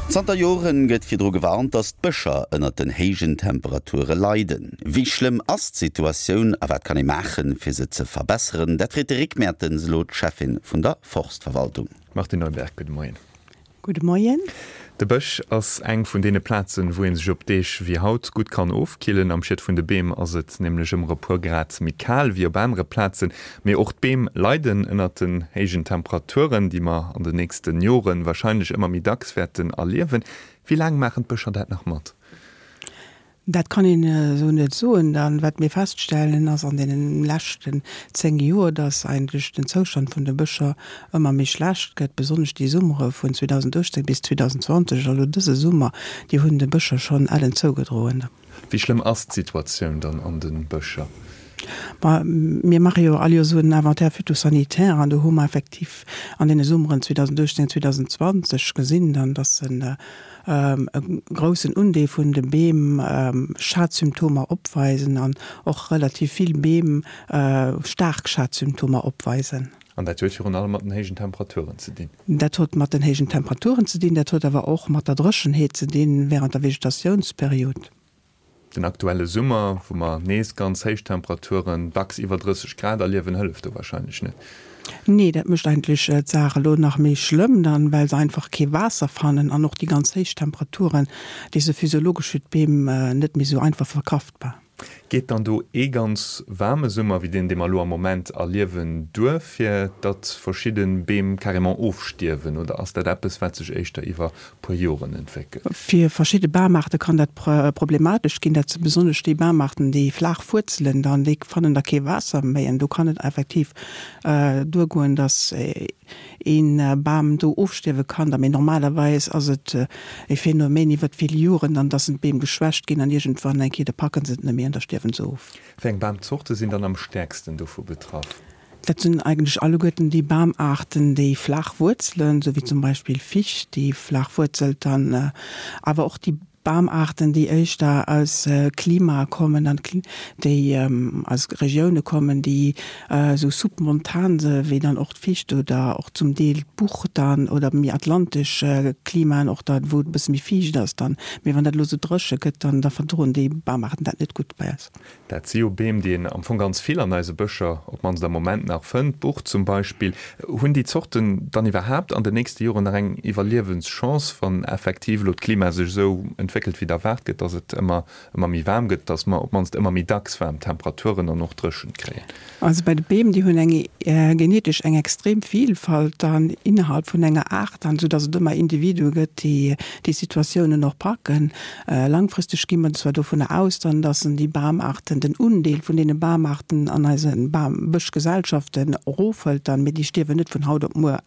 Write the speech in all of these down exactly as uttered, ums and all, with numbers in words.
Zanter Joren gëtt virdru gewarnt, datt d'Bëscher ënnert den héijen Temperature leiden. Wéi schlëmm ass d'Situatioun a wat kann ee maachen, fir se ze verbesseren? Dat freet de Rick Mertens elo d'Cheffin vun der Forstverwaltung. Martine Neuberg, gudde Moien. Gudde Moien. De Bësch ass eng vun deene Plazen, wou ee sech op Deeg wéi haut gutt kann ofkillen. Am Schiet vun de Beem ass et nämlech ëmmer e puer Grad méi kal wéi op anere Plazen. Mee och d'Beem leiden ënnert den héijen Temperaturen, déi mer an den nächsten Joren warscheinlech ëmmer méi dacks wäerten erliewen. Wéi laang maachen d'Bëscher dat nach mat? Dat kann een esou net soen. Dann, wat mir feststellen, ass an deene leschten zéng Joer, dass eigentlech den Zoustand vun de Bëscher ëmmer méi schlecht gëtt. Besonnesch déi Summere vun zweedausenduechtzéng bis zweedausendzwanzeg, elo dëse Summer, déi hunn de Bëscher schonn ellen zougedroen. Wéi schlëmm ass d'Situatioun dann an de Bëscher? Ma mir maache jo all Joer esou en Inventaire phytosanitaire an do hu mer effektiv an deene Summeren zweedausenduechtzéng, zweedausendzwanzeg gesinn dann, dass en e groussen Undeel vun de Beem Schadsymptomer opweisen an och relativ vill Beem staark Schadsymptomer opweisen. An dat huet virun allem mat den héijen Temperaturen ze dinn? Dat huet mat den héijen Temperaturen ze dinn, dat huet awer och mat der Dréchenheet ze dinn während der Vegetationsperiod. Den aktuelle Summer, wou mer nees ganz héich Temperaturen, dacks iwwer drësseg Grad erliewen, hëlleft do warscheinlech net. Nee, dat mécht eigentlech d'Saach elo nach méi schlëmm dann, well se einfach kee Waasser fannen an och déi ganz héich Temperaturen, déi se physiologesch fir d'Beem net méi esou einfach verkraftbar. Geet dann do ee ganz waarme Summer wéi deen, dee mer elo am Moment erliewen, duer, fir datt verschidde Beem carrément ofstierwen, oder ass dat eppes, wat sech éischter iwwer puer Joren entwéckelt? Fir verschidde Bamaarte kann dat problematesch ginn. Dat si besonnesch déi Bamaarten, déi flaach wuerzelen dann, déi fannen da kee Waasser méi an do kann et effektiv duergoen, datt een Bam do ofstierwe kann da, mee normalerweis ass et e Phänomen iwwert vill Joren dann, dass d'Beem geschwächt ginn an iergendwann eng Kéier da packen se et net méi an da stierwen se of. Wéi eng Bamzorte sinn dann am stäerksten dovu betraff? Dat sinn eigentlech alleguerten déi Bamaarten, déi flaach wuerzelen, sou wéi zum Beispill Ficht, déi flaach wuerzelt dann, awer och déi Bamaarten, déi éischter aus Klimae kommen an déi aus Regioune kommen, déi esou submontan se wéi dann och d'Ficht oder och zum Deel d'Buch dann oder méi atlantesch Klimaen och da wou et e bësse méi fiicht ass dann. Mee wann dat elo esou dréche gëtt, dann da verdroen déi Bamaarten dat net gutt bei eis. Dat si jo Beem, déi een am Fong ganz vill an eise Bëscher, op d'mannst am Moment nach, fënnt, d'Buch zum Beispill. Hunn déi Zorten dann iwwerhaapt an den nächste Joren nach eng Iwwerliewenschance, wann effektiv elo d'Klima sech esou entwéckelt, wéi et erwaart gëtt, dass et ëmmer, ëmmer méi waarm gëtt, dass mer op d'mannst ëmmer méi dacks waarm Temperaturen an och Dréchent kréien? Also bei de Beem, déi hunn eng genetesch eng extrem Vielfalt dann innerhalb vun enger Aart dann, soudass et ëmmer Individue gëtt, déi déi Situatiounen och packen. Langfristeg gi mer zwar dovunner aus dann, dass déi Bamarten, den Undeel vun deene Bamarten an eise Bam Bëschgesellschaften erofhëlt dann, mee déi stierwen net vun haut op muer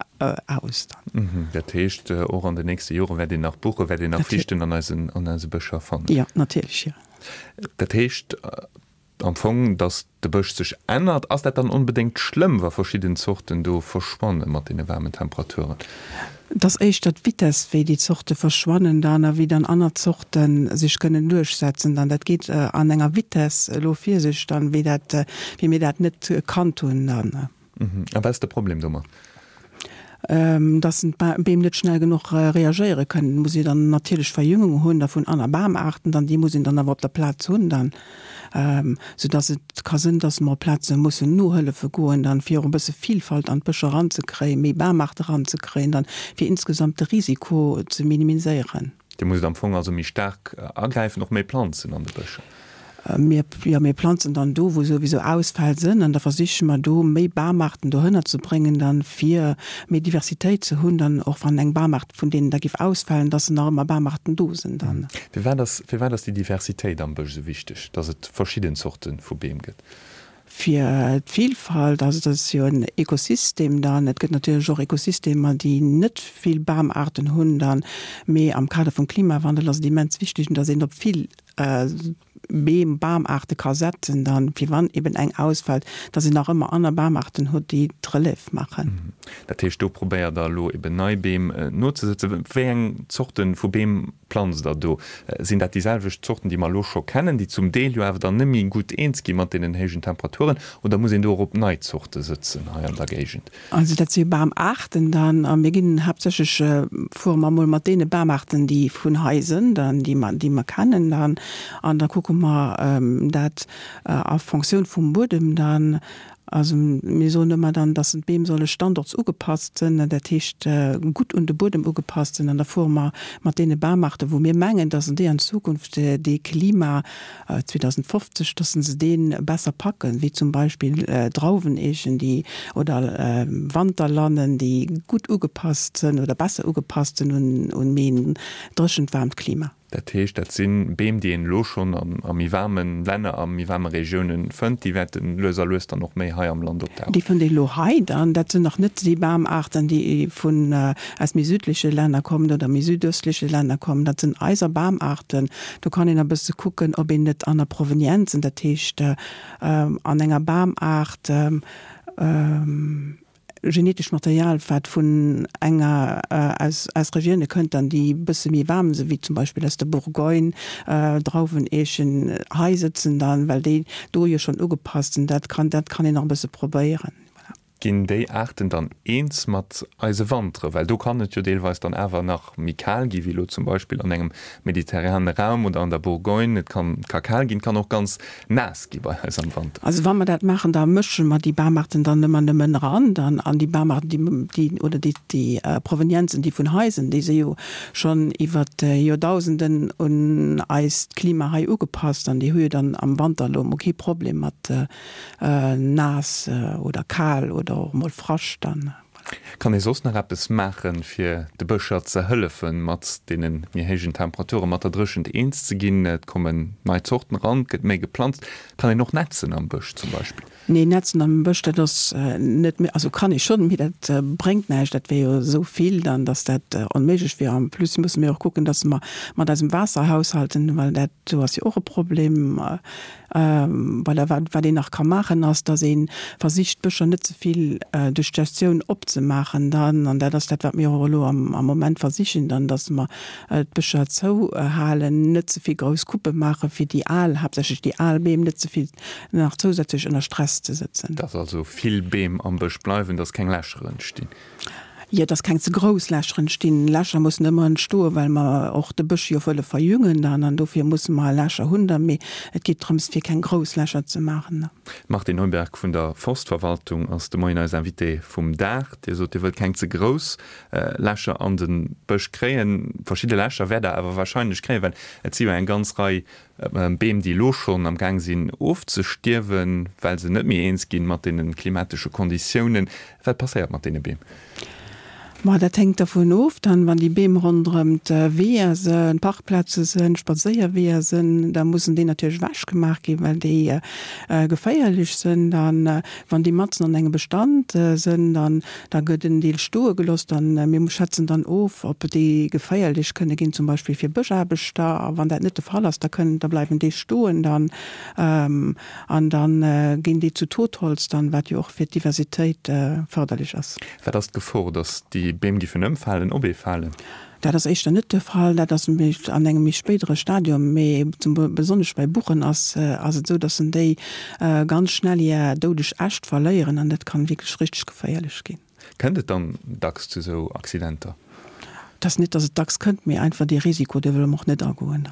aus dann. Dat heescht, och an den nächste Jore wäert een nach Buche, wäert een nach Fichten an eisen, an eise Bëscher fannen? Jo, natierlech, jo. Dat heescht am Fong, datt de Bësch sech ännert. Ass dat dann onbedéngt schlëmm, wa verschidden Zorten do verschwanne mat deene waarmen Temperaturen? Et ass éischter d'Vitess, wéi déi Zorte verschwannen dann a wéi dann aner Zorte sech kënnen duerchsetzen dann. Dat geet an enger Vitess elo vir sech dann, wéi dat, wéi mir dat net kannt hunn dann. A wat ass de Problem domat? Dass d'Beem net schnell genuch reagéiere kënnen. Et muss ee dann natierlech Verjüngung hunn da vun aner Bamaarten dann, déi muss een dann awer op der Plaz hunn dann, soudass et ka sënn, dass mer op Plaze mussen nohëllefe goen dann, fir och e bësse Vilfalt an d'Bëscher eranzekréien, méi Bamaarte eranzekréien dann, fir insgesamt de Risiko ze minimiséieren. Dir musst am Fong also méi staark agräifen, och méi planzen an de Bëscher? Mir, jo, mir planzen dann do, wou souwisou Ausfäll sënn, an da versiche mer do méi Bamaarten dohënner ze bréngen dann, fir méi Diversitéit ze hunn dann, och wann eng Bamaart vun deenen da géif ausfalen, dass nach ëmmer Bamaarten do sinn dann. Firwat ass, firwat ass déi Diversitéit am Bësch esou wichteg, dass et verschidden Zorte vu Beem gëtt? Fir d'Vilfalt, also dat ass jo en Ekosystem dann, et gëtt natierlech och Ekosystemer, déi net vill Bamaarten hunn dann, mee am Kader vum Klimawandel ass et immens wichteg, dass een op vill Beem, Bamaarte ka setzen dann, fir wann eben eng ausfält, dass een nach ëmmer aner Bamaarten huet, déi d'Relève maachen. Dat heescht, do probéiert Der elo eben nei Beem nozesëtzen. Wéi eng Zorte vu Beem planzt Der do? Sinn dat déi selwecht Zorten, déi mer elo scho kennen, déi zum Deel jo awer dann net méi gutt eens gi mat deenen héijen Temperaturen, oder muss een do och op nei Zorte sëtzen hei an der Géigend? Also dat si Bamaarten dann, a mir ginn haaptsächlech, fuere mer emol mat deene Bamaarten, déi vun hei sënn dann, déi mer, déi mer kennen dann, an da kucke mer dat a Fonctioun vum Buedem dann. Also mir soen ëmmer dann, dass d'Beem solle standortsugepasst sënn, dat heescht gutt un de Buedem ugepasst sënn, an da fuere mer mat deene Bamaarte wou mir mengen, dass déi an Zukunft dee Klima zweedausendfofzeg, dass se dee besser packen, wéi zum Beispill Drauweneechen, déi oder Wanterlannen, déi gutt ugepasst sënn oder besser ugepasst sënn un un méi en dréchent, waarmt Klima. Dat heescht, dat si Beem, déi een elo schonn a méi waarme Länner, a méi waarme Regiounen fënnt. Déi wäerte lues a lues dann och méi hei am Land opdauchen. Déi fënnt een elo hei dann. Dat sinn nach net déi Bamaarten, déi vun aus méi südleche Länner kommen oder méi südöstleche Länner kommen. Dat sinn eiser Bamaarten. Do kann een e bësse kucken, ob een net aner Provenienzen, dat heescht an enger Bamaart, Genetescht Material, wat vun enger aus aus Regioune kënnt, dann déi bësse méi waarm sinn, wéi zum Beispill aus der Bourgogne, Drauwen, Eechen, hei sëtzen dann, well déi do jo schonn ugepasst sinn. Dat kann dat kann een nach e bësse probéieren. Voilà. Ginn déi Aarten dann eens mat eise Wantere? Well do kann et jo deelweis dann awer nach méi kal gi wéi elo zum Beispill an engem mediterrane Raum oder an der Bourgogne. Et kann ka kal ginn, et kann och ganz naass gi bei eis am Wanter. Also wa mer dat maachen, da mësche mer déi Bamaarten dann ëmmer nëmmen eran dann an déi Bamaarten, déi, déi oder déi, déi Provenienzen, déi vun hei sinn, déi si jo schonn iwwer Joerdausenden un eist Klima hei ugepasst an déi hu jo dann am Wanter elo emol kee Problem mat naass oder kal oder och emol Frascht dann. Kann ee soss nach eppes maachen, fir de Bëscher ze hëllefen, mat deene méi héijen Temperaturen, mat der Dréchent eens ze ginn? Et kommen nei Zorten eran, et gëtt méi geplanzt. Kann een och nätzen am Bësch zum Beispill? Nee, nätzen am Bësch, dat ass net méi, also kann ee schonn, mee dat bréngt näischt. Dat wier jo esou vill dann, datt dat onméiglech wier. En plus musse mir och kucken, datt mer mat eisem Waasser haushalten, well dat do ass jo och e Problem. Voilà, wat, wat een nach ka maachen, ass, datt ee versicht, d'Bëscher net ze vill duerch d'Gestioun opzemaachen dann. An dat ass dat, wat mir och elo am, am Moment versichen dann, datt mer d'Bëscher zouhalen, net ze vill grouss Couppe maachen, fir déi al, haaptsächlech déi al Beem net ze vill nach zousätzlech ënner Stress ze sëtzen. Datt also vill Beem am Bësch bleiwen, datt keng Lächer entstinn. Jo, dass keng ze grouss Lächer entstinn. Lächer mussen ëmmer entstoen, well mer och de Bësch jo wëlle verjüngen dann an dofir musse mer Lächer hunn da. Mee et geet drëms, fir keng grouss Lächer ze maachen. D'Martine Neuberg vun der Forstverwaltung ass de Moien eis Invitée vum Dag. Dir sot, Dir wëllt keng ze grouss Lächer an de Bësch kréien. Verschidde Lächer wäert Der awer warscheinlech kréien, well et si jo eng ganz Rei Beem, déi elo schonn am Gaang sinn ofzestierwen, well se net méi eens ginn mat deene klimatesche Konditiounen. Wat passéiert mat deene Beem? Ma dat hänkt dervun of, dann, wann déi Beem ronderëm d'Weeër sënn, Parkplaze sënn, Spadséierweeër sënn, da mussen déi natierlech ewechgemaach ginn, well déi geféierlech sënn. Dann, wann déi matzen an engem Bestand sënn, dann da gëtt en Deel stoe gelooss. Dann, mir schätzen dann of, ob déi geféierlech kënne ginn, zum Beispill fir Bëschaarbechter. A wann dat net de Fall ass, da kënnen, da bleiwen déi stoen dann. An da ginn déi zu Totholz dann, wat jo och fir d'Diversitéit fërderlech ass. Wat ass d'Gefor, datt déi Beem giffen ëmfalen, op ee falen? Dat ass éischter net de Fall. Dat ass an engem méi spéidere Stadium. Mee zum besonnesch bei Buchen ass ass et esou, datt en déi ganz schnell hir doudeg Äscht verléieren an dat kann wierklech richteg geféierlech ginn. Kënnt et dann dacks zu esou Accidenter? Et ass net, datt et dacks kënnt, mee einfach dee Risiko, dee wëlle mer och net agoen.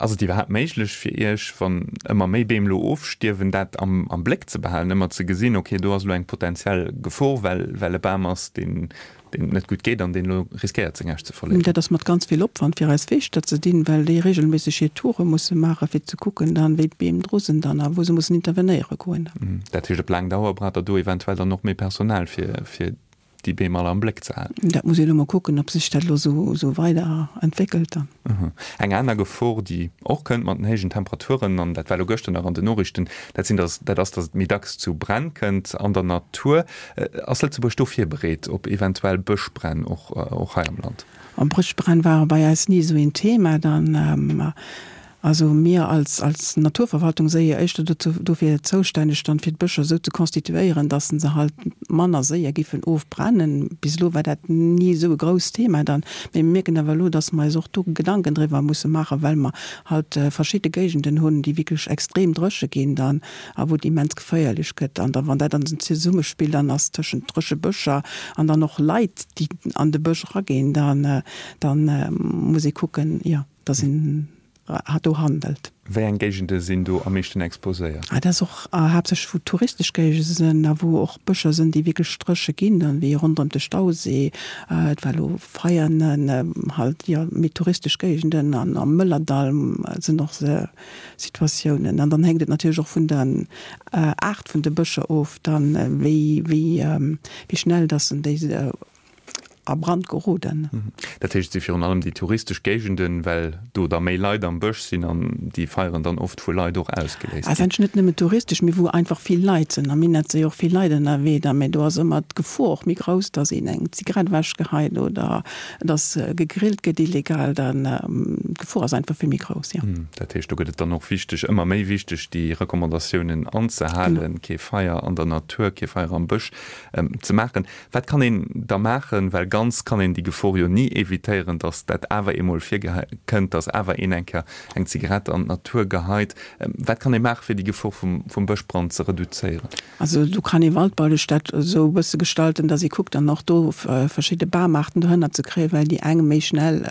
Ass et iwwerhaapt méiglech fir Iech, wann ëmmer méi Beem elo ofstierwen, dat am am Bléck ze behalen, ëmmer ze gesinn, okay, do ass elo eng potenziell Gefor, well well e Bam ass, deen deem et net gutt geet an deen elo riskéiert, seng Äscht ze verléieren? Dat ass mat ganz vill Opwand fir eis Feeschter ze dinn, well déi regelméisseg hir Toure musse maachen, fir ze kucken dann, wéi d'Beem dru sinn dann a wou se mussen intervenéiere goen. Dat heescht, op laang Dauer braucht Der do eventuell dann och méi Personal, fir fir déi Beem all am Bléck ze halen. Dat muss een elo mol kucken, ob sech dat elo esou weider entwéckelt dann. Eng aner Gefor, déi och kënnt mat den héijen Temperaturen, an dat war elo gëschter nach an den Noriichten, dat sinn, dass, dat ass, dass et méi dacks zu Bränn kënnt an der Natur. Ass Lëtzebuerg do virbereet op eventuell Bëschbränn och, och hei am Land? Bëschbränn ware bei eis ni esou een Thema dann. Also mir als, als Naturverwaltung si jo éischter dozou, dofir zoustänneg dann fir d'Bëscher esou ze konstituéieren, dass se halt manner séier giffen ofbrennen. Bis elo war dat ni esou e grousst Thema dann. Mee mir mierken awer elo, dass mer eis och do Gedanken driwwer musse maachen, well mer halt verschidde Géigenden hunn, déi wierklech extrem dréche ginn dann a wou et immens geféierlech gëtt. An da wann dat dann Zesummespill dann ass tëschent dréche Bëscher an dann och Leit, déi an de Bësch eraginn, dann, dann muss ee kucken, jo, dass een do handelt. Wéi eng Géigende sinn do am meeschten exposéiert? Dat ass och haaptsächlech wou touristesch Géigende sinn a wou och Bëscher sinn, déi wierklech dréche ginn, dann wéi ronderëm de Stausee, et war elo Veianen, halt, jo, méi touristesch Géigenden an am Mëllerdall sinn och Situatiounen. An dann hänkt et natierlech och vun der Aart vun de Bëscher of dann, wéi, wéi, wéi schnell dass en déi a Brand geroden. Dat heescht, et si virun allem déi touristesch Géigenden, well do da méi Leit am Bësch sinn an déi Feieren dann oft vu Leit och ausgeléist ginn. Ass net nëmmen touristesch, mee wou einfach vill Leit sinn. Am Minett si jo och vill Leit ënnerwee da, mee do ass ëmmer d'Gefor och méi grouss, dass een eng Zigarett ewechgeheit oder dass gegrillt gëtt illegal. Dann, d'Gefor ass einfach vill méi grouss, jo. Dat heescht, do gëtt et dann och wichteg, ëmmer méi wichteg, déi Recommandatiounen anzehalen, kee Feier an der Natur, kee Feier am Bësch ze maachen. Wat kann een da maachen, well ganz kann een déi Gefor jo ni evitéieren, datt dat awer eemol virkënnt, datt awer een eng Kéier eng Zigarett an d'Natur geheit. Wat kann ee maachen, fir déi Gefor vum, vum Bëschbrand ze reduzéieren? Also do kann ee waldbaulesch dat esou e bësse gestalten, datt ee kuckt dann och do verschidde Bamaarten dohënner ze kréien, well déi eng méi schnell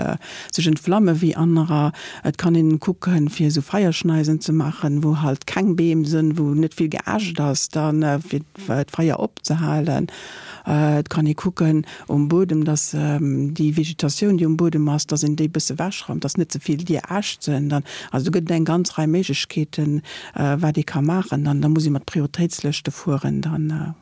sech entflamme wéi anerer. Et kann een kucken, fir esou Feierschneisen ze maachen, wou halt keng Beem sënn, wou net vill Geäscht ass, dann fir d'Feier opzehalen. Et kann ee kucken um Buedem, dass déi Vegetatioun, déi um Buedem ass, dass een déi e bësse ewechraumt, dass net ze vill Dier Äscht sinn. Dann, also do gëtt et eng ganz Rei Méiglechkeeten, wat ee ka maachen. Dann, da muss ee mat Prioritéitslëschte fueren. Dann, voilà.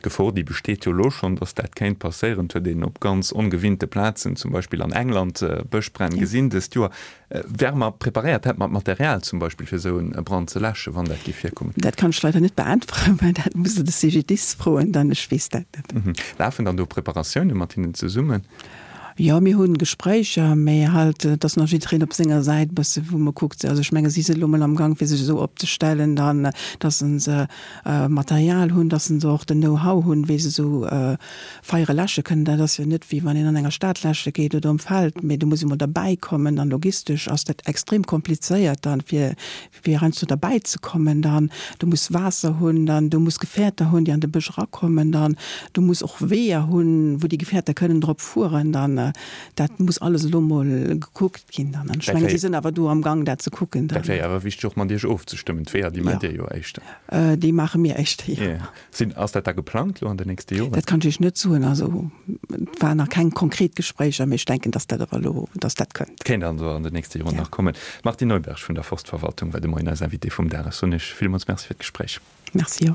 D'Gefor, déi besteet jo elo schonn, dass dat kéint passéieren. Et huet een op ganz ongewinnte Plazen, zum Beispill an England, Bëschbränn gesinn dëst Joer. Wäre mer preparéiert? Hätte mer d'Material zum Beispill, fir esou e Brand ze läschen, wann dat géif virkommen? Dat kann ech leider net beäntweren, well dat muss Der de CGDIS froen dann. Ech weess dat net. Lafen dann do Preparatioune mat hinnen zesummen? Jo, mir hunn Gespréicher, mä halt, et ass nach jiddereen op senger Säit e bësse wou mer kuckt. Also ech menge si sinn elo mol am Gang fir sech esou opzestellen dann, datt se Material hunn, datt se och den Know-how hunn, wéi se esou Feiere läsche kënnen. Dat ass jo net wéi wann een an enger Stad läsche geet oder um Feld, mee do muss ee mol derbäi kommen an logistesch ass dat extrem komplizéiert dann, fir fir heiansdo derbäi ze kommen. Dann du muss Waasser hunn, dann du muss Gefäerter hunn, déi an de Bësch erakommen, dann du muss och Weeër hunn, wou déi Gefäerter kënnen drop fueren. Dann dat muss alles elo mol gekuckt ginn dann. An ech mengen, si sinn awer do am Gang, dat ze kucken dann. Dat wär jo awer wichteg och mat Iech ofzestëmmen. D'Weeër, déi maacht Dir jo éischter. Déi maache mir éischter, jo. Sinn, ass dat da geplangt elo an den nächste Joren? Dat kann ech Iech net soen. Also et waren nach keng konkret Gespréicher, mee ech denken, datt dat awer elo, datt dat kënnt. Kéint also an den nächste Joren nach kommen. D'Martine Neuberg vun der Forstverwaltung war de Moien eis Invitée vum Dag. Ech soen Iech villmools Merci fir d'Gespréich. Merci och.